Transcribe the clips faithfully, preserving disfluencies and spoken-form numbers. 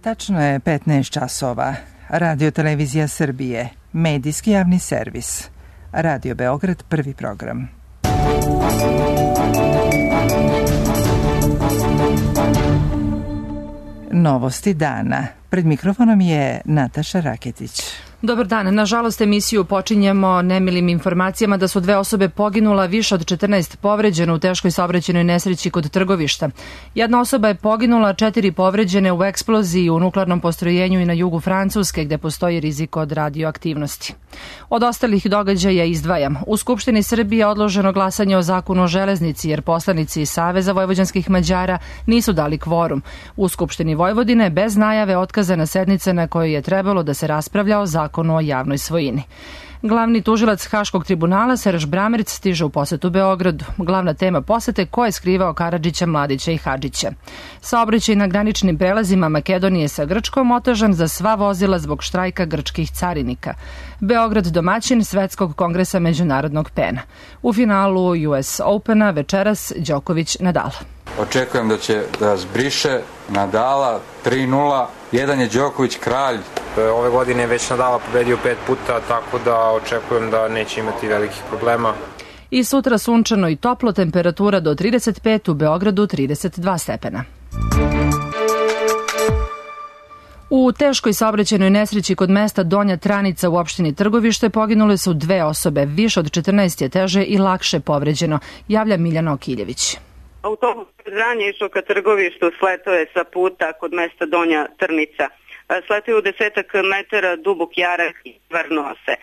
Tačno je petnaest časova. Radio Televizija Srbije, medijski javni servis. Radio Beograd, prvi program. Novosti dana. Pred mikrofonom je Nataša Raketić. Dobar dan. Nažalost, emisiju počinjemo nemilim informacijama da su dve osobe poginula, više od četrnaest povređeno u teškoj saobraćajnoj nesreći kod Trgovišta. Jedna osoba je poginula, četiri povređene u eksploziji u nuklearnom postrojenju i na jugu Francuske, gde postoji rizik od radioaktivnosti. Od ostalih događaja izdvajam. U Skupštini Srbije odloženo glasanje o zakonu o železnici, jer poslanici Saveza vojvođanskih Mađara nisu dali kvorum. U Skupštini Vojvodine bez najave otkazana sednica na kojoj je trebalo da se raspravlja o zakonu o javnoj svojini. Glavni tužilac Haškog tribunala Serž Bramerc stiže u posetu Beogradu. Glavna tema posete ko je skrivao Karadžića, Mladića i Hadžića. Saobraćaj na graničnim prelazima Makedonije sa Grčkom otežan za sva vozila zbog štrajka grčkih carinika. Beograd domaćin Svetskog kongresa međunarodnog pena. U finalu U S Opena večeras Đoković Nadal. Očekujem da će da zbriše Nadala tri nula. Jedan je Đoković kralj. Ove godine je već Nadala pobedio pet puta, tako da očekujem da neće imati velikih problema. I sutra sunčano i toplo, temperatura do trideset pet, u Beogradu trideset dva stepena. U teškoj saobraćajnoj nesreći kod mesta Donja Tranica u opštini Trgovište poginule su dve osobe, više od četrnaest je teže i lakše povređeno, javlja Miljana Okiljević. Autobus ranje išao ka Trgovištu, sletao je sa puta kod mesta Donja Trnica. Sletao je u desetak metara dubok jarak i vrnuo se.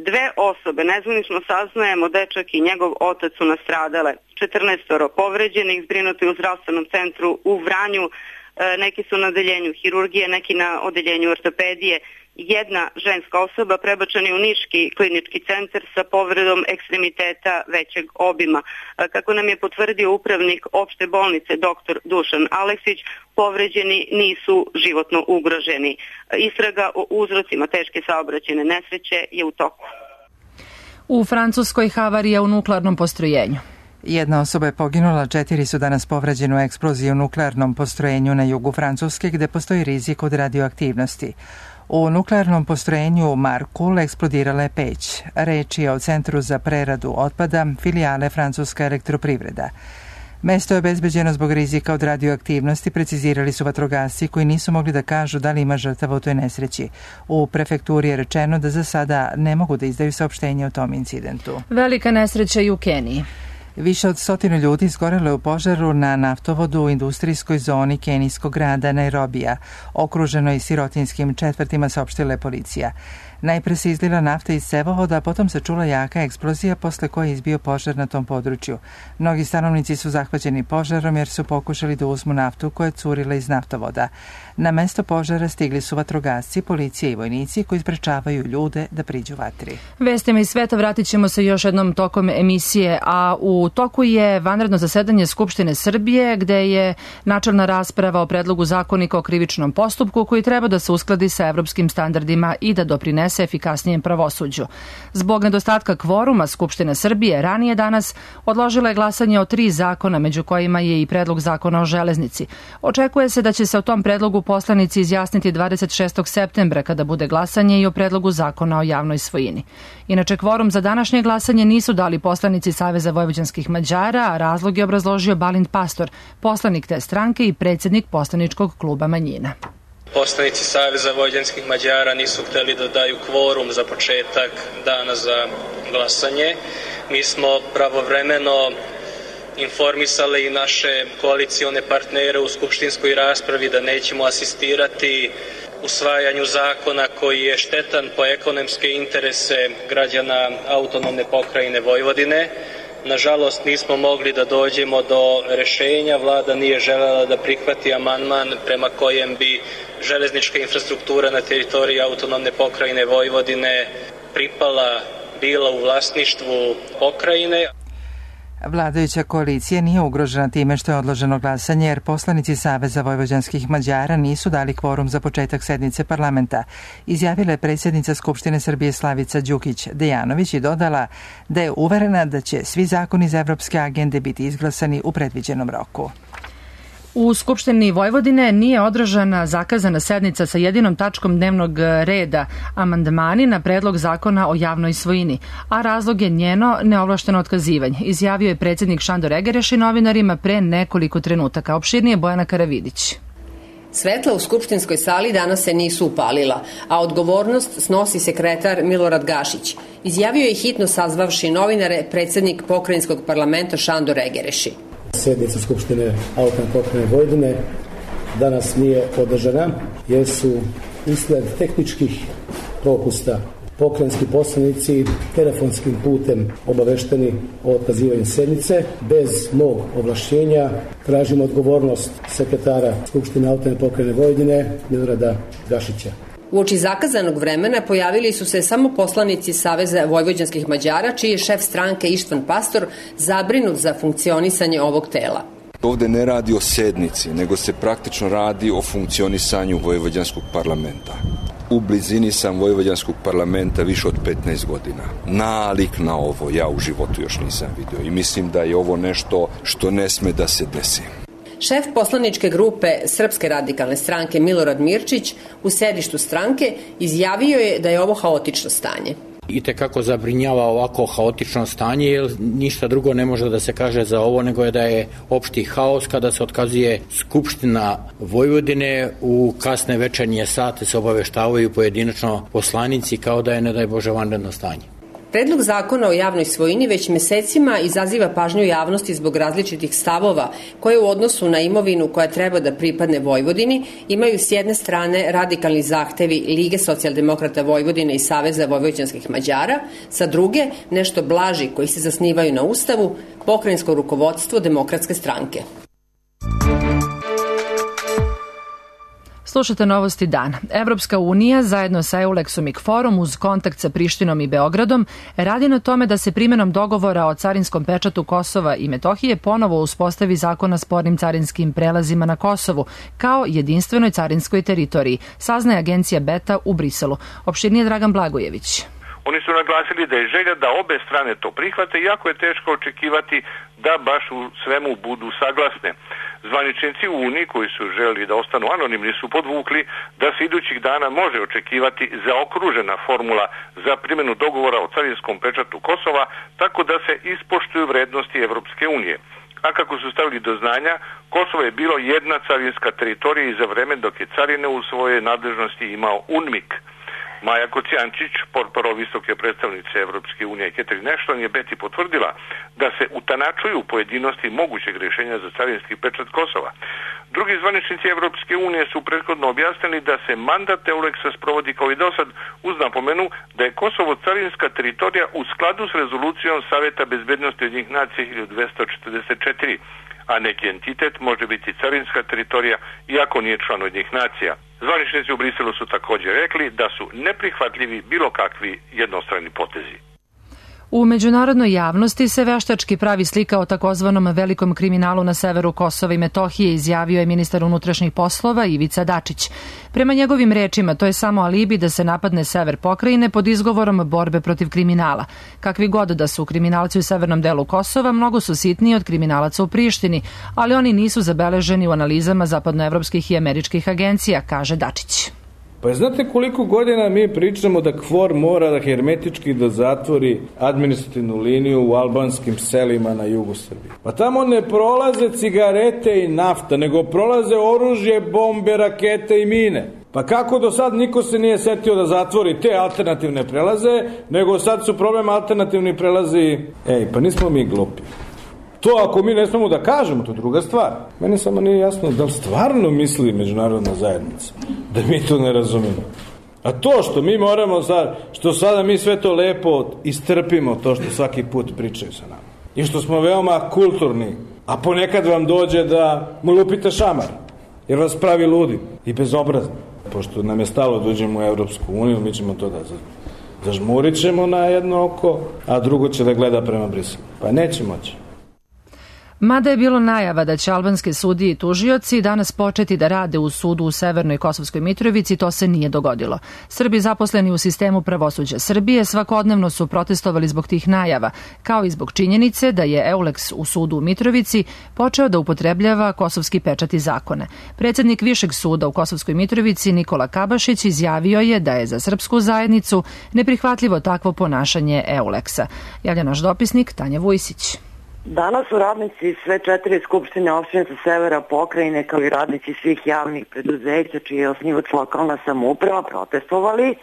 Dve osobe, nezvanično saznajemo, dečak i njegov otac su nastradale. četrnaestoro povređenih, zbrinuti u zdravstvenom centru u Vranju, neki su na odeljenju hirurgije, neki na odeljenju ortopedije. Jedna ženska osoba prebačena je u Niški klinički centar sa povredom ekstremiteta većeg obima. Kako nam je potvrdio upravnik opšte bolnice doktor Dušan Aleksić, povređeni nisu životno ugroženi. Istraga o uzrocima teške saobraćajne nesreće je u toku. U Francuskoj havarija u nuklearnom postrojenju. Jedna osoba je poginula, četiri su danas povređene u eksploziji u nuklearnom postrojenju na jugu Francuske, gde postoji rizik od radioaktivnosti. U nuklearnom postrojenju Markul eksplodirala je peć. Reč je o Centru za preradu otpada, filijale Francuska elektroprivreda. Mesto je obezbeđeno zbog rizika od radioaktivnosti, precizirali su vatrogasci koji nisu mogli da kažu da li ima žrtava u toj nesreći. U prefekturi je rečeno da za sada ne mogu da izdaju saopštenje o tom incidentu. Velika nesreća i u Keniji. Više od stotinu ljudi izgorelo je u požaru na naftovodu u industrijskoj zoni kenijskog grada Nairobija, okruženoj sirotinskim četvrtima, saopštila je policija. Najpre se izlila nafta iz cevovoda, a potom se čula jaka eksplozija posle koje je izbio požar na tom području. Mnogi stanovnici su zahvaćeni požarom jer su pokušali da uzmu naftu koja je curila iz naftovoda. Na mesto požara stigli su vatrogasci, policija i vojnici koji sprečavaju ljude da priđu vatri. Vestima iz sveta vratit ćemo se još jednom tokom emisije, a u toku je vanredno zasedanje Skupštine Srbije gde je načelna rasprava o predlogu zakonika o krivičnom postupku koji treba da se uskladi sa evropskim standardima i da doprinese efikasnijem pravosuđu. Zbog nedostatka kvoruma, Skupština Srbije ranije danas odložila je glasanje o tri zakona, među kojima je i predlog zakona o železnici. Očekuje se da će se o tom predlogu poslanici izjasniti dvadeset šestog septembra kada bude glasanje i o predlogu zakona o javnoj svojini. Inače, kvorum za današnje glasanje nisu dali poslanici Saveza vojvođanskih Mađara, a razlog je obrazložio Balint Pastor, poslanik te stranke i predsjednik poslaničkog kluba manjina. Poslanici Saveza vojvođanskih Mađara nisu hteli da daju kvorum za početak dana za glasanje. Mi smo pravovremeno informisali i naše koalicione partnere u skupštinskoj raspravi da nećemo asistirati usvajanju zakona koji je štetan po ekonomske interese građana autonomne pokrajine Vojvodine. Nažalost, nismo mogli da dođemo do rešenja. Vlada nije želela da prihvati amandman prema kojem bi železnička infrastruktura na teritoriji autonomne pokrajine Vojvodine pripala, bila u vlasništvu pokrajine. Vladajuća koalicija nije ugrožena time što je odloženo glasanje jer poslanici Saveza vojvođanskih Mađara nisu dali kvorum za početak sednice parlamenta, izjavila je predsjednica Skupštine Srbije Slavica Đukić Dejanović i dodala da je uverena da će svi zakoni iz evropske agende biti izglasani u predviđenom roku. U Skupštini Vojvodine nije održana zakazana sednica sa jedinom tačkom dnevnog reda amandmani na predlog zakona o javnoj svojini, a razlog je njeno neovlašteno otkazivanje, izjavio je predsjednik Šandor Egereš i novinarima pre nekoliko trenutaka. Opširnije Bojana Karavidić. Svetla u skupštinskoj sali danas se nisu upalila, a odgovornost snosi sekretar Milorad Gašić. Izjavio je hitno sazvavši novinare predsjednik pokrajinskog parlamenta Šandor Egereši. Sjednica Skupštine autonomne pokrajine Vojvodine danas nije održana jer su usled tehničkih propusta pokrajinski poslanici telefonskim putem obavešteni o otkazivanju sednice. Bez mog ovlašćenja tražimo odgovornost sekretara Skupštine autonomne pokrajine Vojvodine Milorada Gašića. Uoči zakazanog vremena pojavili su se samo poslanici Saveza vojvođanskih Mađara, čiji je šef stranke Ištvan Pastor zabrinut za funkcionisanje ovog tela. Ovde ne radi o sednici, nego se praktično radi o funkcionisanju vojvođanskog parlamenta. U blizini sam vojvođanskog parlamenta više od petnaest godina. Nalik na ovo ja u životu još nisam vidio i mislim da je ovo nešto što ne sme da se desi. Šef poslaničke grupe Srpske radikalne stranke Milorad Mirčić u sedištu stranke izjavio je da je ovo haotično stanje. I tekako zabrinjava ovako haotično stanje, jer ništa drugo ne može da se kaže za ovo nego je da je opšti haos kada se otkazuje Skupština Vojvodine. U kasne večernje sate se obaveštavaju pojedinačno poslanici kao da je, ne daj Bože, vanredno stanje. Predlog zakona o javnoj svojini već mesecima izaziva pažnju javnosti zbog različitih stavova koje u odnosu na imovinu koja treba da pripadne Vojvodini imaju s jedne strane radikalni zahtevi Lige socijaldemokrata Vojvodine i Saveza vojvođanskih Mađara, sa druge nešto blaži koji se zasnivaju na Ustavu, pokrajinsko rukovodstvo Demokratske stranke. Slušate novosti dana. Evropska unija zajedno sa EULEX-om i KFOR-om uz kontakt sa Prištinom i Beogradom radi na tome da se primjenom dogovora o carinskom pečatu Kosova i Metohije ponovo uspostavi zakon o spornim carinskim prelazima na Kosovu kao jedinstvenoj carinskoj teritoriji, saznaje agencija Beta u Briselu. Opširnije Dragan Blagojević. Oni su naglasili da je želja da obe strane to prihvate, iako je teško očekivati da baš u svemu budu saglasne. Zvaničnici u Uniji koji su želeli da ostanu anonimni su podvukli da se idućih dana može očekivati zaokružena formula za primjenu dogovora o carinskom pečatu Kosova, tako da se ispoštuju vrednosti Evropske unije. A kako su stavili do znanja, Kosovo je bilo jedna carinska teritorija i za vreme dok je carine u svojoj nadležnosti imao UNMIK. Maja Kocijančić, portparol visoke predstavnice Evropske unije Catherine Ashton, je Beti potvrdila da se utanačuju pojedinosti mogućeg rješenja za carinski pečat Kosova. Drugi zvaničnici Evropske unije su prethodno objasnili da se mandat EULEX-a sprovodi kao i dosad uz napomenu da je Kosovo carinska teritorija u skladu s rezolucijom Saveta bezbednosti Ujedinjenih nacija hiljadu dvesta četrdeset četiri, a neki entitet može biti carinska teritorija iako nije član Ujedinjenih nacija. Zvaničnici u Briselu su također rekli da su neprihvatljivi bilo kakvi jednostrani potezi. U međunarodnoj javnosti se veštački pravi slika o takozvanom velikom kriminalu na severu Kosova i Metohije, izjavio je ministar unutrašnjih poslova Ivica Dačić. Prema njegovim rečima, to je samo alibi da se napadne sever pokrajine pod izgovorom borbe protiv kriminala. Kakvi god da su kriminalci u severnom delu Kosova, mnogo su sitniji od kriminalaca u Prištini, ali oni nisu zabeleženi u analizama zapadnoevropskih i američkih agencija, kaže Dačić. Pa znate koliko godina mi pričamo da KFOR mora da hermetički da zatvori administrativnu liniju u albanskim selima na jugu Srbije? Pa tamo ne prolaze cigarete i nafta, nego prolaze oružje, bombe, rakete i mine. Pa kako do sad niko se nije setio da zatvori te alternativne prelaze, nego sad su problem alternativni prelazi. Ej, pa nismo mi glupi. To ako mi ne smemo da kažemo, to je druga stvar. Meni samo nije jasno da li stvarno misli međunarodna zajednica, da mi to ne razumemo. A to što mi moramo sad, što sada mi sve to lepo istrpimo, to što svaki put pričaju sa nama. I što smo veoma kulturni, a ponekad vam dođe da mu lupite šamar, jer vas pravi ludi i bezobrazni. Pošto nam je stalo da uđemo u Evropsku uniju, mi ćemo to da zažmurit ćemo na jedno oko, a drugo će da gleda prema Briselu. Pa neće moći. Mada je bilo najava da će albanske sudije i tužioci danas početi da rade u sudu u Severnoj Kosovskoj Mitrovici, to se nije dogodilo. Srbi zaposleni u sistemu pravosuđa Srbije svakodnevno su protestovali zbog tih najava, kao i zbog činjenice da je Euleks u sudu u Mitrovici počeo da upotrebljava kosovski pečat i zakone. Predsednik Višeg suda u Kosovskoj Mitrovici Nikola Kabašić izjavio je da je za srpsku zajednicu neprihvatljivo takvo ponašanje Euleksa. Javlja naš dopisnik Tanja Vujsić. Danas su radnici sve četiri skupštine opštine sa severa pokrajine, kao i radnici svih javnih preduzeća čiji je osnivač lokalna samouprava, protestovali.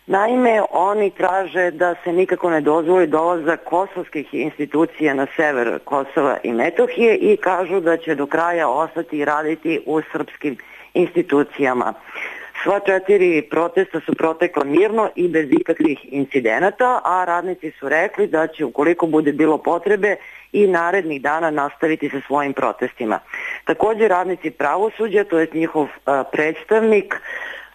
Naime, oni traže da se nikako ne dozvoli dolazak kosovskih institucija na sever Kosova i Metohije i kažu da će do kraja ostati i raditi u srpskim institucijama. Sva četiri protesta su protekla mirno i bez ikakvih incidenata, a radnici su rekli da će, ukoliko bude bilo potrebe, i narednih dana nastaviti sa svojim protestima. Također radnici pravosuđa, to je njihov a, predstavnik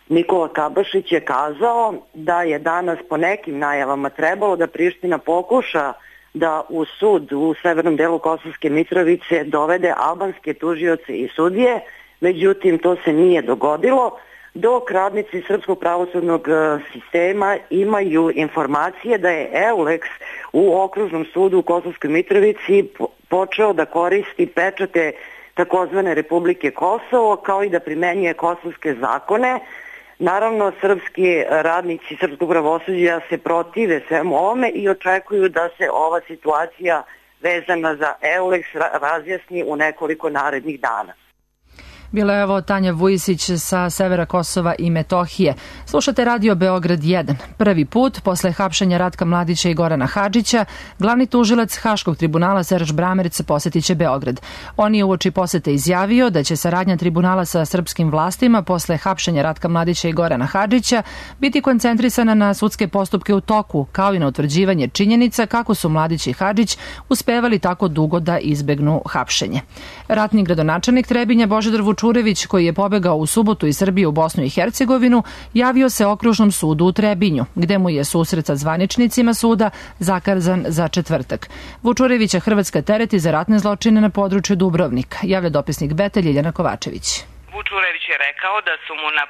Nikola Kabašić, je kazao da je danas po nekim najavama trebalo da Priština pokuša da u sud u severnom delu Kosovske Mitrovice dovede albanske tužioce i sudije, međutim to se nije dogodilo, dok radnici srpskog pravosudnog sistema imaju informacije da je Euleks u okružnom sudu u Kosovskoj Mitrovici počeo da koristi pečate takozvane Republike Kosovo, kao i da primenjuje kosovske zakone. Naravno, srpski radnici srpskog pravosuđa se protive svemu ovome i očekuju da se ova situacija vezana za Euleks razjasni u nekoliko narednih dana. Bila je ovo Tanja Vujsić sa severa Kosova i Metohije. Slušate Radio Beograd jedan. Prvi put, posle hapšenja Ratka Mladića i Gorana Hadžića, glavni tužilac Haškog tribunala Seraž Bramerc posetiće Beograd. On je uoči posete izjavio da će saradnja tribunala sa srpskim vlastima posle hapšenja Ratka Mladića i Gorana Hadžića biti koncentrisana na sudske postupke u toku, kao i na utvrđivanje činjenica kako su Mladić i Hadžić uspevali tako dugo da izbegnu hapšenje. Ratni gradonačelnik Trebinja Božidar Vučurević, koji je pobegao u subotu iz Srbije u Bosnu i Hercegovinu, javio se okružnom sudu u Trebinju, gde mu je susret sa zvaničnicima suda zakazan za četvrtak. Vučurevića Hrvatska tereti za ratne zločine na području Dubrovnika, javlja dopisnik Beta Ljiljana Kovačević. Vučurević je rekao da su mu na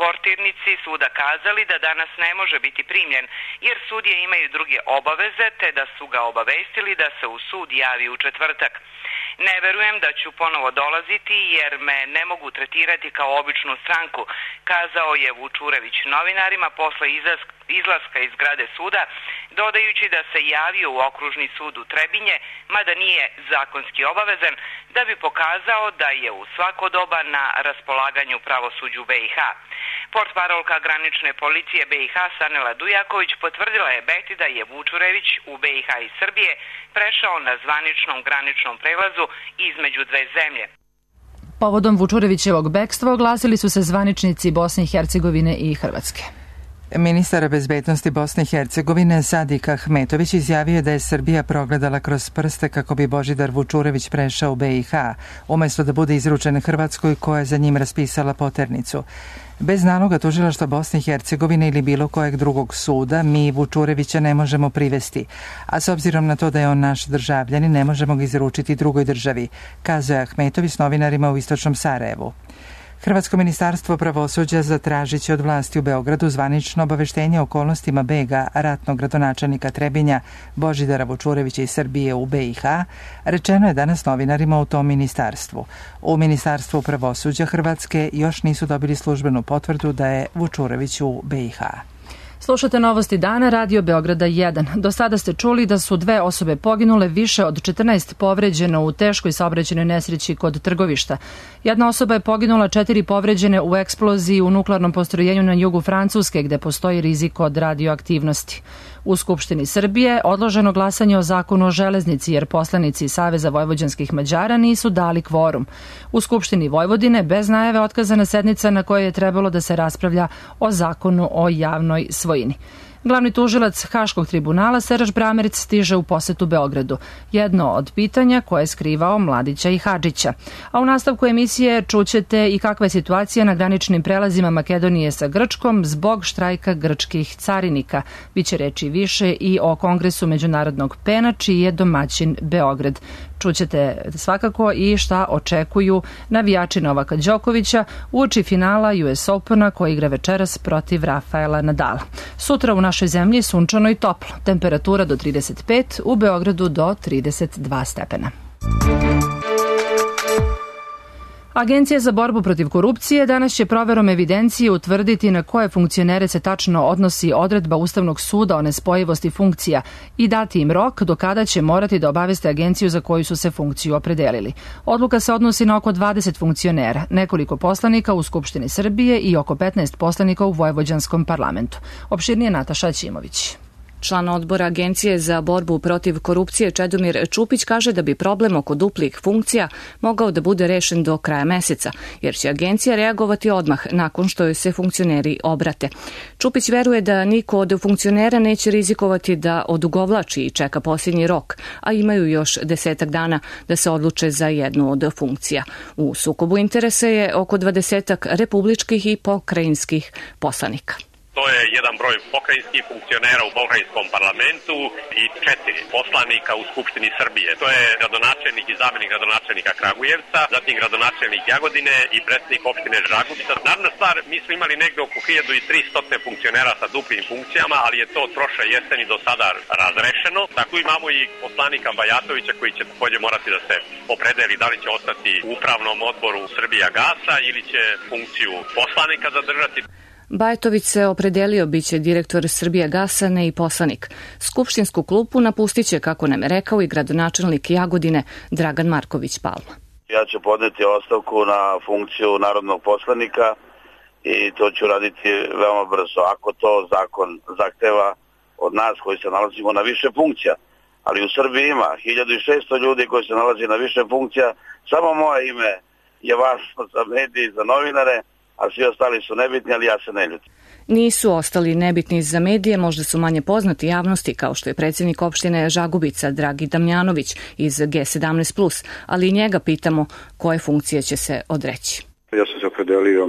portirnici suda kazali da danas ne može biti primljen, jer sudije imaju druge obaveze, te da su ga obavestili da se u sud javi u četvrtak. Ne verujem da ću ponovo dolaziti jer me ne mogu tretirati kao običnu stranku, kazao je Vučurević novinarima posle izlaska iz zgrade suda, dodajući da se javio u okružni sud u Trebinje, mada nije zakonski obavezan, da bi pokazao da je u svako doba na raspolaganju pravosuđu B i H. Portparolka granične policije B i H Sanela Dujaković potvrdila je Beti da je Vučurević u B i H i Srbije prešao na zvaničnom graničnom prelazu između dve zemlje. Povodom Vučurevićevog bekstva oglasili su se zvaničnici Bosne i Hercegovine i Hrvatske. Ministar bezbednosti Bosne i Hercegovine Sadik Ahmetović izjavio da je Srbija progledala kroz prste kako bi Božidar Vučurević prešao u B i H, umesto da bude izručen Hrvatskoj koja je za njim raspisala poternicu. Bez naloga tužilaštva Bosne i Hercegovine ili bilo kojeg drugog suda, mi Vučurevića ne možemo privesti, a s obzirom na to da je on naš državljanin, ne možemo ga izručiti drugoj državi, kazao je Ahmetović novinarima u istočnom Sarajevu. Hrvatsko ministarstvo pravosuđa zatražit će od vlasti u Beogradu zvanično obaveštenje o okolnostima bega ratnog gradonačelnika Trebinja Božidara Vučurevića iz Srbije u B i H, rečeno je danas novinarima u tom ministarstvu. U Ministarstvu pravosuđa Hrvatske još nisu dobili službenu potvrdu da je Vučurević u B i H. Slušate novosti dana, Radio Beograda jedan. Do sada ste čuli da su dve osobe poginule, više od četrnaest povređeno u teškoj saobraćajnoj nesreći kod Trgovišta. Jedna osoba je poginula, četiri povređene u eksploziji u nuklearnom postrojenju na jugu Francuske, gde postoji rizik od radioaktivnosti. U Skupštini Srbije odloženo glasanje o zakonu o železnici jer poslanici Saveza vojvođanskih Mađara nisu dali kvorum. U Skupštini Vojvodine bez najave otkazana sednica na kojoj je trebalo da se raspravlja o zakonu o javnoj svojini. Glavni tužilac Haškog tribunala Seraž Bramerc stiže u posetu Beogradu. Jedno od pitanja koje je skrivao Mladića i Hadžića. A u nastavku emisije čućete i kakva je situacija na graničnim prelazima Makedonije sa Grčkom zbog štrajka grčkih carinika. Biće reči više i o Kongresu međunarodnog pena, čiji je domaćin Beograd. Čućete svakako i šta očekuju navijači Novaka Đokovića uoči finala U S Opena koji igra večeras protiv Rafaela Nadala. Sutra u našoj zemlji sunčano i toplo. Temperatura do trideset pet, u Beogradu do trideset dva stepena. Agencija za borbu protiv korupcije danas će proverom evidencije utvrditi na koje funkcionere se tačno odnosi odredba Ustavnog suda o nespojivosti funkcija i dati im rok do kada će morati da obaveste agenciju za koju su se funkciju opredelili. Odluka se odnosi na oko dvadeset funkcionera, nekoliko poslanika u Skupštini Srbije i oko petnaest poslanika u Vojvođanskom parlamentu. Opširnije Nataša Ćimović. Član odbora Agencije za borbu protiv korupcije Čedomir Čupić kaže da bi problem oko duplih funkcija mogao da bude rešen do kraja meseca, jer će agencija reagovati odmah nakon što joj se funkcioneri obrate. Čupić veruje da niko od funkcionera neće rizikovati da odugovlači i čeka posljednji rok, a imaju još desetak dana da se odluče za jednu od funkcija. U sukobu interesa je oko dvadesetak republičkih i pokrajinskih poslanika. To je jedan broj pokrajinskih funkcionera u pokrajinskom parlamentu i četiri poslanika u Skupštini Srbije. To je gradonačelnik i zamenik gradonačelnika Kragujevca, zatim gradonačelnik Jagodine i predsjednik opštine Žagubica. Naravna stvar, mi smo imali negde oko hiljadu tristo funkcionera sa duplim funkcijama, ali je to od prošle jeseni do sada razrešeno. Tako imamo i poslanika Bajatovića koji će takođe morati da se opredeli da li će ostati u upravnom odboru Srbija gasa ili će funkciju poslanika zadržati. Bajatović se opredelio, biće direktor Srbija gasa, ne i poslanik. Skupštinsku klupu napustit će, kako nam je rekao, i gradonačelnik Jagodine Dragan Marković Palma. Ja ću podneti ostavku na funkciju narodnog poslanika i to ću raditi veoma brzo. Ako to zakon zahteva od nas koji se nalazimo na više funkcija, ali u Srbiji ima hiljadu šesto ljudi koji se nalazi na više funkcija, samo moje ime je važno za medije, za novinare, a svi ostali su nebitni, ali ja se ne ljutim. Nisu ostali nebitni za medije, možda su manje poznati javnosti, kao što je predsjednik opštine Žagubica Dragi Damjanović iz G sedamnaest plus, ali i njega pitamo koje funkcije će se odreći. Ja sam se opredelio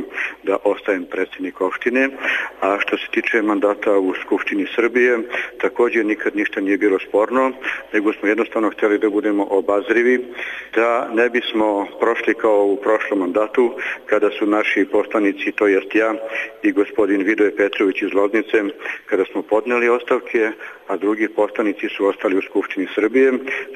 da ostajem predsjednik opštine, a što se tiče mandata u Skupštini Srbije, također nikad ništa nije bilo sporno, nego smo jednostavno htjeli da budemo obazrivi, da ne bismo prošli kao u prošlom mandatu, kada su naši poslanici, to jest ja i gospodin Vidoje Petrović iz Loznice, kada smo podneli ostavke, a drugi poslanici su ostali u Skupštini Srbije.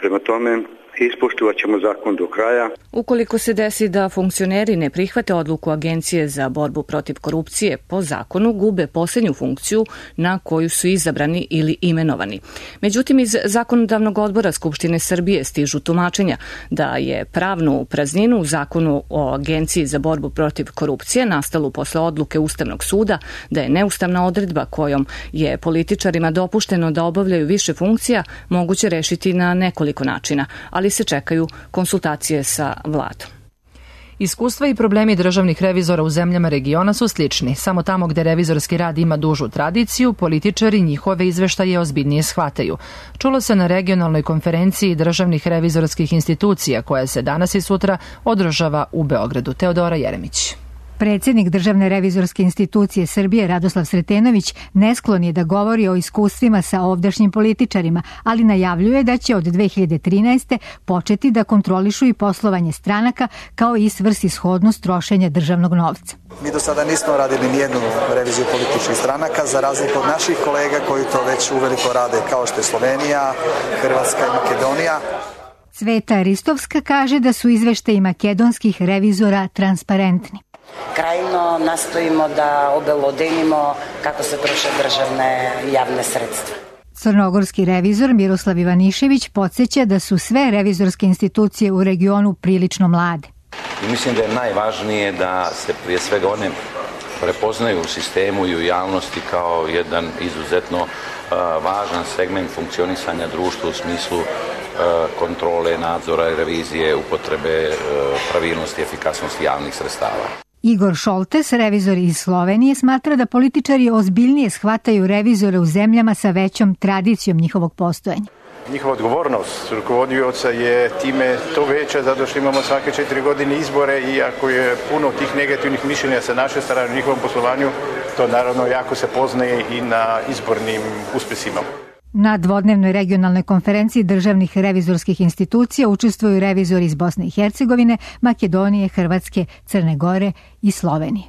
Prema tome, ispoštovat ćemo zakon do kraja. Ukoliko se desi da funkcioneri ne prihvate odluku Agencije za borbu protiv korupcije, po zakonu gube posljednju funkciju na koju su izabrani ili imenovani. Međutim, iz zakonodavnog odbora Skupštine Srbije stižu tumačenja da je pravnu prazninu u zakonu o Agenciji za borbu protiv korupcije nastalu posle odluke Ustavnog suda da je neustavna odredba kojom je političarima dopušteno da obavljaju više funkcija moguće rešiti na nekoliko načina, ali se čekaju konsultacije sa vladom. Iskustva i problemi državnih revizora u zemljama regiona su slični. Samo tamo gde revizorski rad ima dužu tradiciju, političari njihove izveštaje ozbiljnije shvataju. Čulo se na regionalnoj konferenciji državnih revizorskih institucija koja se danas i sutra održava u Beogradu. Teodora Jeremić. Predsjednik Državne revizorske institucije Srbije Radoslav Sretenović nesklon je da govori o iskustvima sa ovdašnjim političarima, ali najavljuje da će od dve hiljade trinaeste. početi da kontrolišu i poslovanje stranaka kao i svrsishodnost trošenja državnog novca. Mi do sada nismo radili nijednu reviziju političkih stranaka, za razliku od naših kolega koji to već uveliko rade, kao što je Slovenija, Hrvatska i Makedonija. Cveta Ristovska kaže da su izveštaji makedonskih revizora transparentni. Krajno nastojimo da obelodenimo kako se troše državne javne sredstva. Crnogorski revizor Miroslav Ivanišević podsjeća da su sve revizorske institucije u regionu prilično mlade. I mislim da je najvažnije da se prije svega one prepoznaju u sistemu i u javnosti kao jedan izuzetno uh, važan segment funkcionisanja društva u smislu uh, kontrole, nadzora i revizije, upotrebe uh, pravilnosti i efikasnosti javnih sredstava. Igor Šoltes, revizor iz Slovenije, smatra da političari ozbiljnije shvataju revizore u zemljama sa većom tradicijom njihovog postojanja. Njihova odgovornost rukovodioca je time to veća zato što imamo svake četiri godine izbore i ako je puno tih negativnih mišljenja sa naše strane u njihovom poslovanju, to naravno jako se poznaje i na izbornim uspesima. Na dvodnevnoj regionalnoj konferenciji državnih revizorskih institucija učestvuju revizori iz Bosne i Hercegovine, Makedonije, Hrvatske, Crne Gore i Slovenije.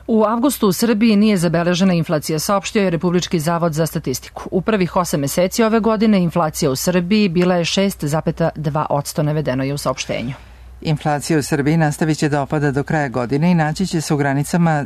U avgustu u Srbiji nije zabeležena inflacija, saopštio je Republički zavod za statistiku. U prvih osam meseci ove godine inflacija u Srbiji bila je šest zarez dva posto, navedeno je u saopštenju. Inflacija u Srbiji nastavit će da opada do kraja godine i naći će se u granicama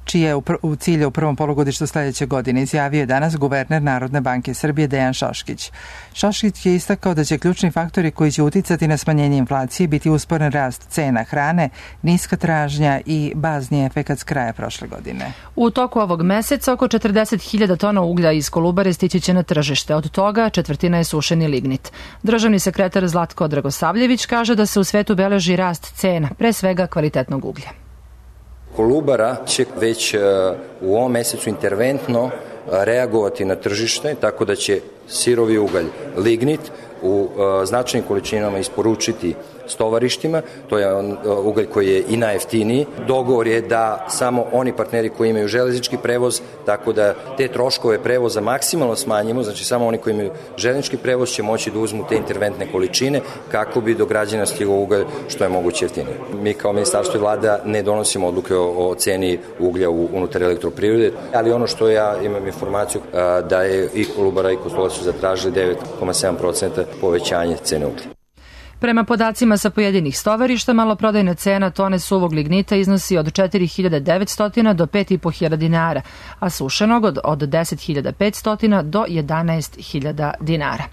čije je u cilju u prvom polugodištu sledeće godine, izjavio je danas guverner Narodne banke Srbije Dejan Šoškić. Šoškić je istakao da će ključni faktori koji će uticati na smanjenje inflacije biti usporen rast cena hrane, niska tražnja i bazni efekat s kraja prošle godine. U toku ovog meseca oko četrdeset hiljada tona uglja iz Kolubare stići će na tržište, od toga četvrtina je sušeni lignit. Državni sekretar Zlatko Dragosavljević kaže da se u svetu beleži rast cena, pre svega kvalitetnog uglja. Kolubara će već u ovom mesecu interventno reagovati na tržište, tako da će sirovi ugalj, lignit, u značajnim količinama isporučiti stovarištima, to je ugalj koji je i najjeftiniji. Dogovor je da samo oni partneri koji imaju železnički prevoz, tako da te troškove prevoza maksimalno smanjimo, znači samo oni koji imaju železnički prevoz će moći da uzmu te interventne količine kako bi do građana stigao ugalj što je moguće jeftinije. Mi kao ministarstvo i vlada ne donosimo odluke o, o ceni uglja u, unutar elektroprivrede, ali ono što ja imam informaciju da je i Kolubara i Kostolac su zatražili devet zarez sedam posto povećanje cene uglja. Prema podacima sa pojedinih stovarišta, maloprodajna cena tone suvog lignita iznosi od četiri hiljade devetsto do pet i po hiljada dinara, a sušenog od, od deset hiljada petsto do jedanaest hiljada dinara.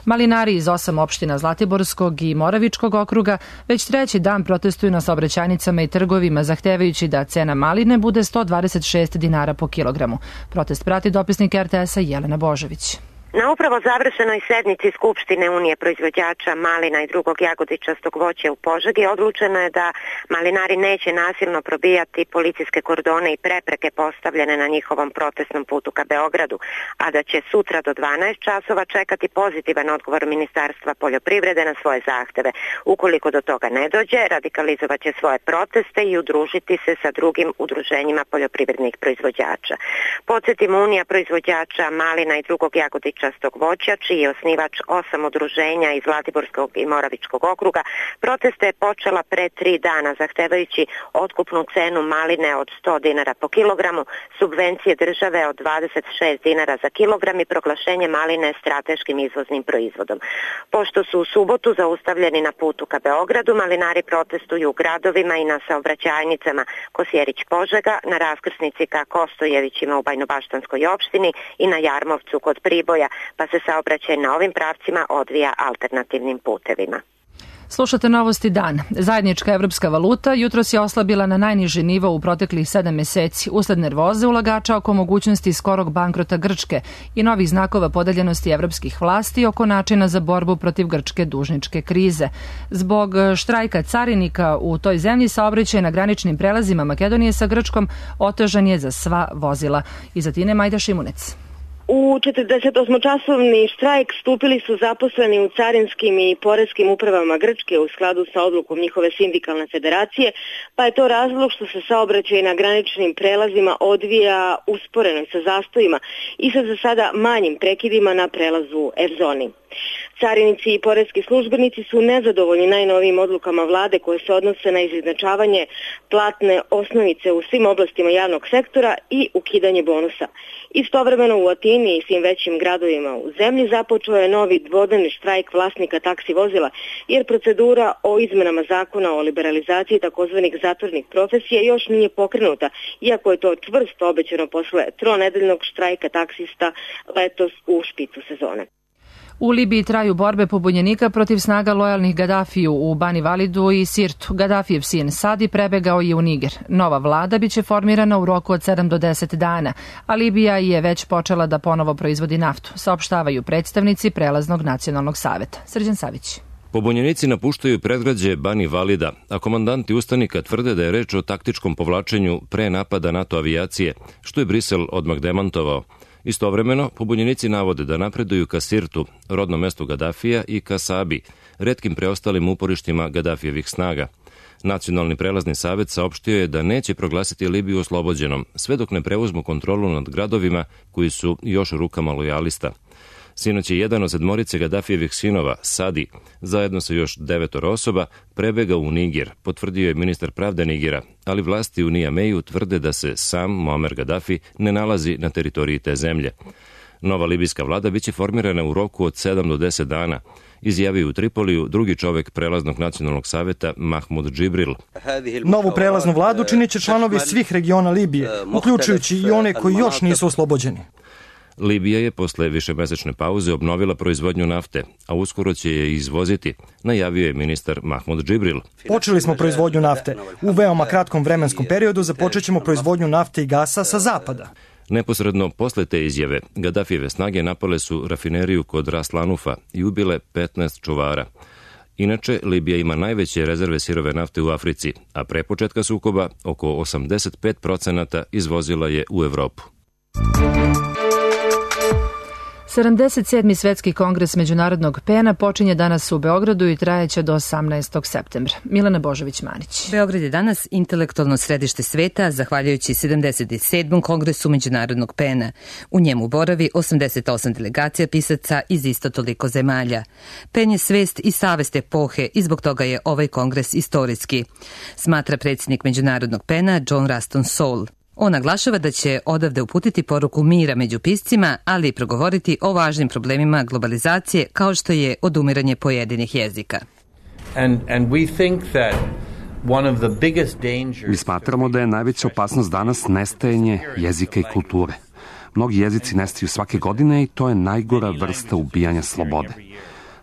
Malinari iz osam opština Zlatiborskog i Moravičkog okruga već treći dan protestuju na saobraćajnicama i trgovima, zahtevajući da cena maline bude sto dvadeset šest dinara po kilogramu. Protest prati dopisnik er te esa Jelena Božović. Na upravo završenoj sednici Skupštine Unije proizvođača malina i drugog jagodičastog voća u Požegi odlučeno je da malinari neće nasilno probijati policijske kordone i prepreke postavljene na njihovom protestnom putu ka Beogradu, a da će sutra do dvanaest časova čekati pozitivan odgovor Ministarstva poljoprivrede na svoje zahteve. Ukoliko do toga ne dođe, radikalizovat će svoje proteste i udružiti se sa drugim udruženjima poljoprivrednih proizvođača. Podsjetimo, Unija proizvođača malina i drugog jagodičastog voća, čiji je osnivač osam udruženja iz Zlatiborskog i Moravičkog okruga, proteste je počela pre tri dana, zahtevajući otkupnu cenu maline od sto dinara po kilogramu, subvencije države od dvadeset šest dinara za kilogram i proglašenje maline strateškim izvoznim proizvodom. Pošto su u subotu zaustavljeni na putu ka Beogradu, malinari protestuju u gradovima i na saobraćajnicama Kosjerić-Požega, na raskrsnici ka Kostojevićima u Bajnobaštanskoj opštini i na Jarmovcu kod Priboja, pa se saobraćaj na ovim pravcima odvija alternativnim putevima. Slušate Novosti dan. Zajednička evropska valuta jutros je oslabila na najniži nivo u proteklih sedam meseci usled nervoze ulagača oko mogućnosti skorog bankrota Grčke i novih znakova podeljenosti evropskih vlasti oko načina za borbu protiv grčke dužničke krize. Zbog štrajka carinika u toj zemlji saobraćaj na graničnim prelazima Makedonije sa Grčkom otežan je za sva vozila. Iz Atine Majda Šimunec. U četrdesetosmočasovni štrajk stupili su zaposleni u carinskim i poreskim upravama Grčke u skladu sa odlukom njihove sindikalne federacije, pa je to razlog što se saobraćaj na graničnim prelazima odvija usporeno sa zastojima i sa za sada manjim prekidima na prelazu F-zoni. Carinici i poreski službenici su nezadovoljni najnovijim odlukama vlade koje se odnose na izjednačavanje platne osnovice u svim oblastima javnog sektora i ukidanje bonusa. Istovremeno u Atini i svim većim gradovima u zemlji započeo je novi dvodnevni štrajk vlasnika taksi vozila, jer procedura o izmenama zakona o liberalizaciji takozvanih zatvornih profesija još nije pokrenuta, iako je to čvrsto obećano posle tronedeljnog štrajka taksista letos u špicu sezone. U Libiji traju borbe pobunjenika protiv snaga lojalnih Gadafiju u Bani Validu i Sirtu. Gadafijev sin Sadi prebegao je u Niger. Nova vlada biće formirana u roku od sedam do deset dana, a Libija je već počela da ponovo proizvodi naftu, saopštavaju predstavnici Prelaznog nacionalnog saveta. Srđan Savić. Pobunjenici napuštaju predgrađe Bani Valida, a komandanti ustanika tvrde da je reč o taktičkom povlačenju pre napada NATO avijacije, što je Brisel odmah demantovao. Istovremeno, pobunjenici navode da napreduju ka Sirtu, rodnom mestu Gadafija, i ka Sabi, retkim preostalim uporištima Gadafijevih snaga. Nacionalni prelazni savet saopštio je da neće proglasiti Libiju oslobođenom, sve dok ne preuzmu kontrolu nad gradovima koji su još u rukama lojalista. Sinoć je jedan od sedmorice Gaddafijevih sinova, Sadi, zajedno sa još devetoro osoba, prebegao u Niger, potvrdio je ministar pravde Nigera, ali vlasti u Niameju tvrde da se sam Muammar Gaddafi ne nalazi na teritoriji te zemlje. Nova libijska vlada biće formirana u roku od sedam do deset dana, izjavio u Tripoliju drugi čovek prelaznog nacionalnog saveta Mahmud Džibril. Novu prelaznu vladu činit će članovi svih regiona Libije, uključujući i one koji još nisu oslobođeni. Libija je posle višemesečne pauze obnovila proizvodnju nafte, a uskoro će je izvoziti, najavio je ministar Mahmud Džibril. Počeli smo proizvodnju nafte. U veoma kratkom vremenskom periodu započet ćemo proizvodnju nafte i gasa sa zapada. Neposredno posle te izjave, Gaddafijeve snage napale su rafineriju kod Ras Lanufa i ubile petnaest čuvara. Inače, Libija ima najveće rezerve sirove nafte u Africi, a pre početka sukoba oko osamdeset pet procenata izvozila je u Evropu. sedamdeset sedmi Svetski kongres Međunarodnog pena počinje danas u Beogradu i trajeće do osamnaestog septembra. Milena Božović-Manić. Beograd je danas intelektualno središte sveta, zahvaljujući sedamdeset sedmom Kongresu Međunarodnog pena. U njemu boravi osamdeset osam delegacija pisaca iz isto toliko zemalja. Pen je svest i savest epohe i zbog toga je ovaj kongres istorijski, smatra predsjednik Međunarodnog pena John Ruston Saul. On naglašava da će odavde uputiti poruku mira među piscima, ali i progovoriti o važnim problemima globalizacije kao što je odumiranje pojedinih jezika. And, and we think that one of the biggest dangers... Mi smatramo da je najveća opasnost danas nestajanje jezika i kulture. Mnogi jezici nestaju svake godine i to je najgora vrsta ubijanja slobode.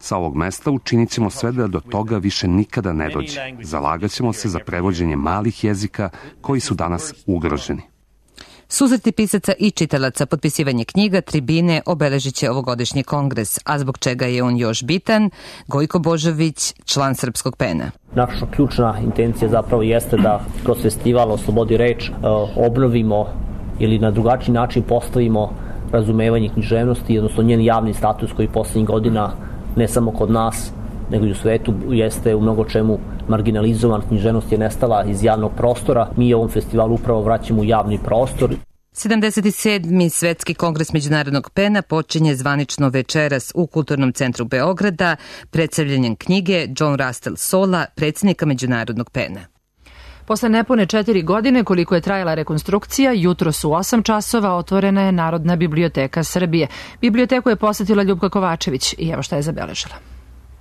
Sa ovog mesta učinit ćemo sve da do toga više nikada ne dođe. Zalagat ćemo se za prevođenje malih jezika koji su danas ugroženi. Susreti pisaca i čitalaca, potpisivanje knjiga, tribine obeležit će ovogodišnji kongres, a zbog čega je on još bitan, Gojko Božović, član Srpskog pena. Naša ključna intencija zapravo jeste da kroz festival o slobodi reč obnovimo ili na drugačiji način postavimo razumevanje književnosti, odnosno njen javni status koji poslednjih godina ne samo kod nas, nego i u svetu jeste u mnogo čemu marginalizovan. Književnost je nestala iz javnog prostora. Mi ovom festivalu upravo vraćamo u javni prostor. sedamdeset sedmi Svetski kongres Međunarodnog pena počinje zvanično večeras u Kulturnom centru Beograda predstavljanjem knjige John Russell Saula, predsjednika Međunarodnog pena. Posle nepune četiri godine koliko je trajala rekonstrukcija, jutros u osam časova otvorena je Narodna biblioteka Srbije. Biblioteku je posetila Ljubka Kovačević i evo šta je zabeležila.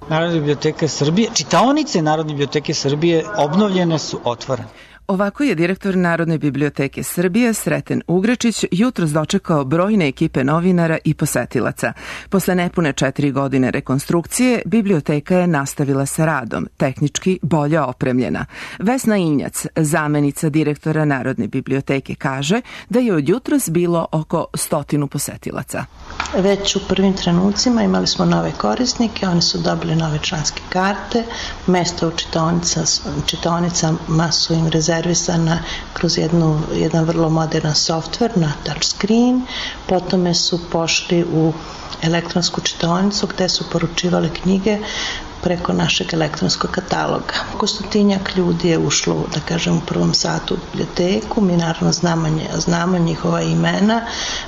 Narodna biblioteka Srbije, čitaonice Narodne biblioteke Srbije obnovljene su, otvorene. Ovako je direktor Narodne biblioteke Srbije Sreten Ugrečić jutros dočekao brojne ekipe novinara i posetilaca. Posle nepune četiri godine rekonstrukcije, biblioteka je nastavila sa radom, tehnički bolje opremljena. Vesna Injac, zamenica direktora Narodne biblioteke, kaže da je od jutros bilo oko stotinu posetilaca. Već u prvim trenucima imali smo nove korisnike, oni su dobili nove članske karte, mesta u čitaonica, čitaonicama su im rezervisana kroz jednu, jedan vrlo moderan softver na touchscreen, potom su pošli u elektronsku čitaonicu gde su poručivali knjige preko našeg elektronskog kataloga. Oko stotinjak ljudi je ušlo, da kažem, u prvom satu u biblioteku. Mi naravno znamo, znamo njihova imena.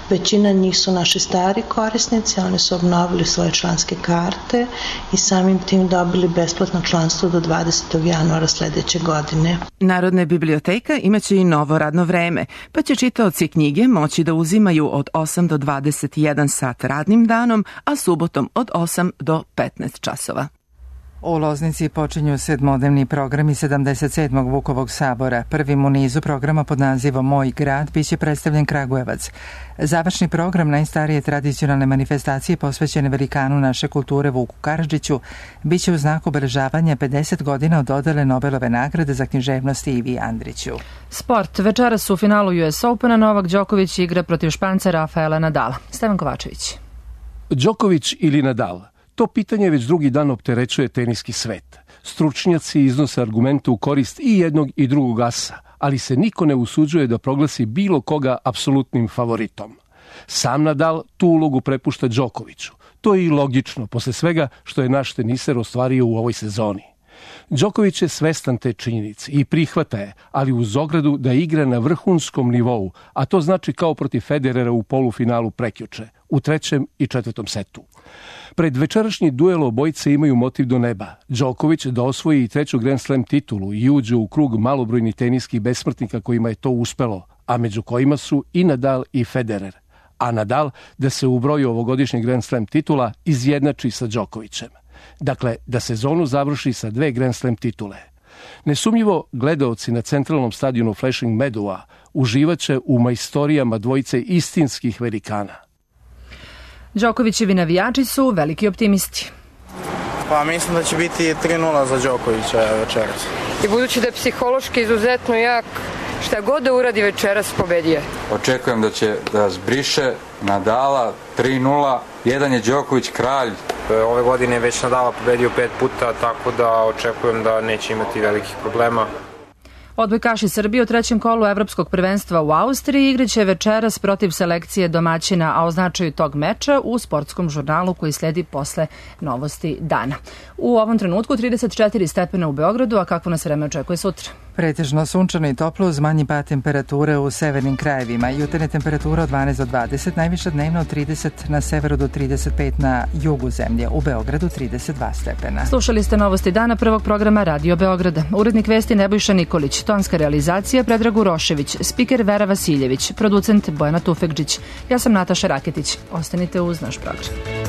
Većina njih su naši stari korisnici, oni su obnovili svoje članske karte i samim tim dobili besplatno članstvo do dvadesetog januara sledeće godine. Narodna biblioteka imaće i novo radno vreme, pa će čitaoci knjige moći da uzimaju od osam do dvadeset jedan sat radnim danom, a subotom od osam do petnaest časova. U Loznici počinju sedmodnevni programi sedamdeset sedmog Vukovog sabora. Prvim u nizu programa pod nazivom Moj grad biće predstavljen Kragujevac. Završni program najstarije tradicionalne manifestacije posvećene velikanu naše kulture Vuku Karadžiću biće u znaku obeležavanja pedeset godina od dodele Nobelove nagrade za književnost Ivi Andriću. Sport. Večeras u finalu U S Opena Novak Đoković igra protiv Španca Rafaela Nadala. Stevan Kovačević. Đoković ili Nadal? To pitanje već drugi dan opterećuje teniski svet. Stručnjaci iznose argumente u korist i jednog i drugog asa, ali se niko ne usuđuje da proglasi bilo koga apsolutnim favoritom. Sam Nadal tu ulogu prepušta Đokoviću. To je i logično, posle svega što je naš teniser ostvario u ovoj sezoni. Đoković je svestan te činjenice i prihvata je, ali uz ogradu da igra na vrhunskom nivou, a to znači kao protiv Federera u polufinalu prekjuče, u trećem i četvrtom setu. Pred večerašnji duel obojice imaju motiv do neba. Đoković da osvoji i treću Grand Slam titulu i uđe u krug malobrojnih teniskih besmrtnika kojima je to uspelo, a među kojima su i Nadal i Federer. A Nadal da se u broju ovogodišnjeg Grand Slam titula izjednači sa Đokovićem. Dakle, da sezonu završi sa dve Grand Slam titule. Nesumnjivo, gledaoci na centralnom stadionu Flushing Meadowa uživaće u majstorijama dvojice istinskih velikana. Đokovićevi navijači su veliki optimisti. Pa mislim da će biti tri nula za Đokovića večeras. I budući da je psihološki izuzetno jak, šta god da uradi večeras pobedije. Očekujem da će da zbriše Nadala tri nula. Jedan je Đoković kralj. Ove godine je već Nadala pobedio pet puta, tako da očekujem da neće imati velikih problema. Odbojkaši Srbije u trećem kolu Evropskog prvenstva u Austriji igraće večeras protiv selekcije domaćina, a o značaju tog meča u sportskom žurnalu koji sledi posle novosti dana. U ovom trenutku trideset četiri stepena u Beogradu, a kakvo nas vreme očekuje sutra? Pretežno sunčano i toplo uz manji pad temperature u severnim krajevima. Jutarnje temperatura od dvanaest do dvadeset, najviša dnevno od trideset na severu do trideset pet na jugu zemlje. U Beogradu trideset dva stepena. Slušali ste novosti dana prvog programa Radio Beograda. Urednik vesti Nebojša Nikolić, tonska realizacija Predrag Urošević, spiker Vera Vasiljević, producent Bojana Tufekđić. Ja sam Nataša Raketić. Ostanite uz naš program.